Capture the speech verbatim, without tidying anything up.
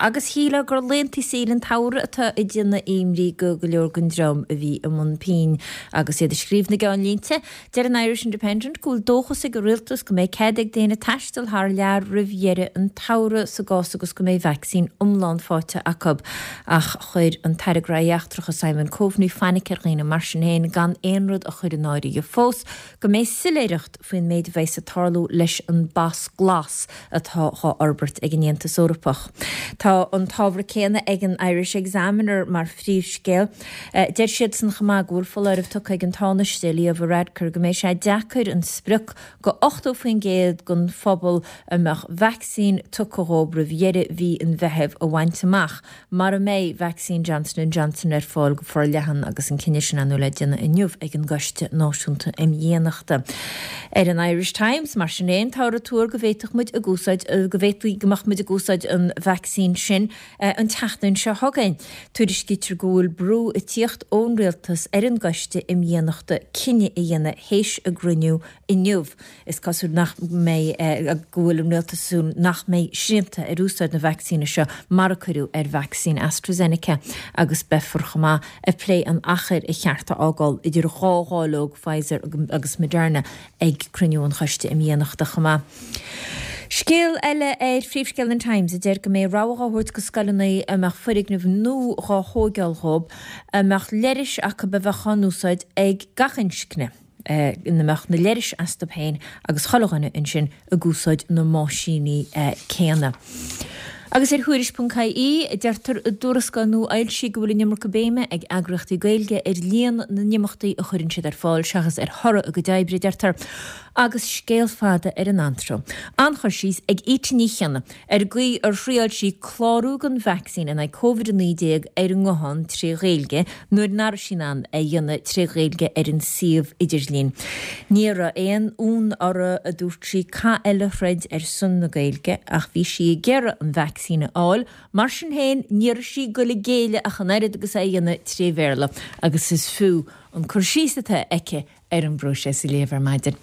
Agus shílfeá gur laethanta saoire an tsamhraidh atá ag déanamh imní go go leor den dream a bhí i mbun pinn agus iad ag scríobh na gceannlínte. Deir an Irish Independent go bhfuil dóchas ag an rialtas go mbeidh cead ag daoine taisteal thar lear roimh dheireadh an tsamhraidh sa gcás agus go mbeidh vacsaín iomlán faighte acu. Ach chuir an tAire Gnóthaí Eachtracha Simon Coveney fainic ar dhaoine mar sin féin gan aon rud a chur in áirithe fós go mbeidh soiléireacht faoin méid a bheas ag tarlú leis an bpas glas atá á fhorbairt ag an Aontas Eorpach. Tá an t-ábhar céanna ag an Irish Examiner mar phríomhscéal. Deir siad san chomh maith go bhfuil foláireamh tugtha ag an Tánaiste Leo Varadkar go mbeidh sé deacair an sprioc go ochtó faoin gcéad den phobal a mbeadh vacsaín tugtha dhóibh roimh dheireadh mhí an Mheithimh a bhaint amach mura mbeidh vacsaín Johnson and Johnson ar fáil go forleathan agus an cinneadh sin ar ndóigh le déanamh inniu ag an gCoiste Náisiúnta um Dhéanachta. Ar an Irish Times mar sin féin táthar ag tuar go bhféadfadh muid ag úsáid go bhféadfaí go mbeadh muid ag úsáid an vacsaín sin an tseachtain seo chugainn. Tuairiscítear go bhfuil brú ag tíocht ón rialtas ar an gCoiste um Dhéanachta cinneadh a dhéanamh théis a gcruinniú inniu. Is cosúil nach mbeidh go bhfuil an rialtas ag súil nach mbeidh srianta ar úsáid na vacsaíne seo mar a cuireadh ar vacsaín AstraZeneca agus beifear chomh maith ag plé an achair a cheart a fhágáil idir dhá dháileog Pfizer agus Moderna ag cruinniú an Choiste um Dhéanachta chomh maith. Scéal eile ar phríomhscéal an Times a deir go mbeidh rogha á thabhairt go scoileanna a mbeadh foirgneamh nua á thógáil dhóibh a mbeadh leithris acu a bheadh á n-úsáid ag gach inscne. ina mbeadh na leithris astu féin agus chuile dhuine ansin ag úsáid na mbáisíní céanna. Agus ar Thuairisc ponc ie, deirtear i dtuarascáil nua fhoilsithe go bhfuil an iomarca béime ag eagraíochtaí Gaeilge ar líon na n-imeachtaí a chuireann siad ar fáil seachas ar thoradh a gcuid oibre, deirtear. Agus scéal fada ar an antró. An-chur síos ag Íte Ní Chionnaith ar an gcaoi ar thriáil sí clárú don vacsaín in aghaidh Covid a naoi déag ar an nguthán tré Ghaeilge nuair nach raibh sí in ann é a dhéanamh tré Ghaeilge ar an suíomh idirlín. Ní raibh aon fhonn uirthi, a dúirt sí, cath eile a throid ar son na Gaeilge ach bhí sí ag iarraidh an vacsaín a fháil. Mar sin féin, ní raibh sí ag goil ag géilleadh ach an oiread agus é a dhéanamh tré Bhéarla agus is fiú an cur síos atá aici ar an bpróiseas a léamh ar maidin.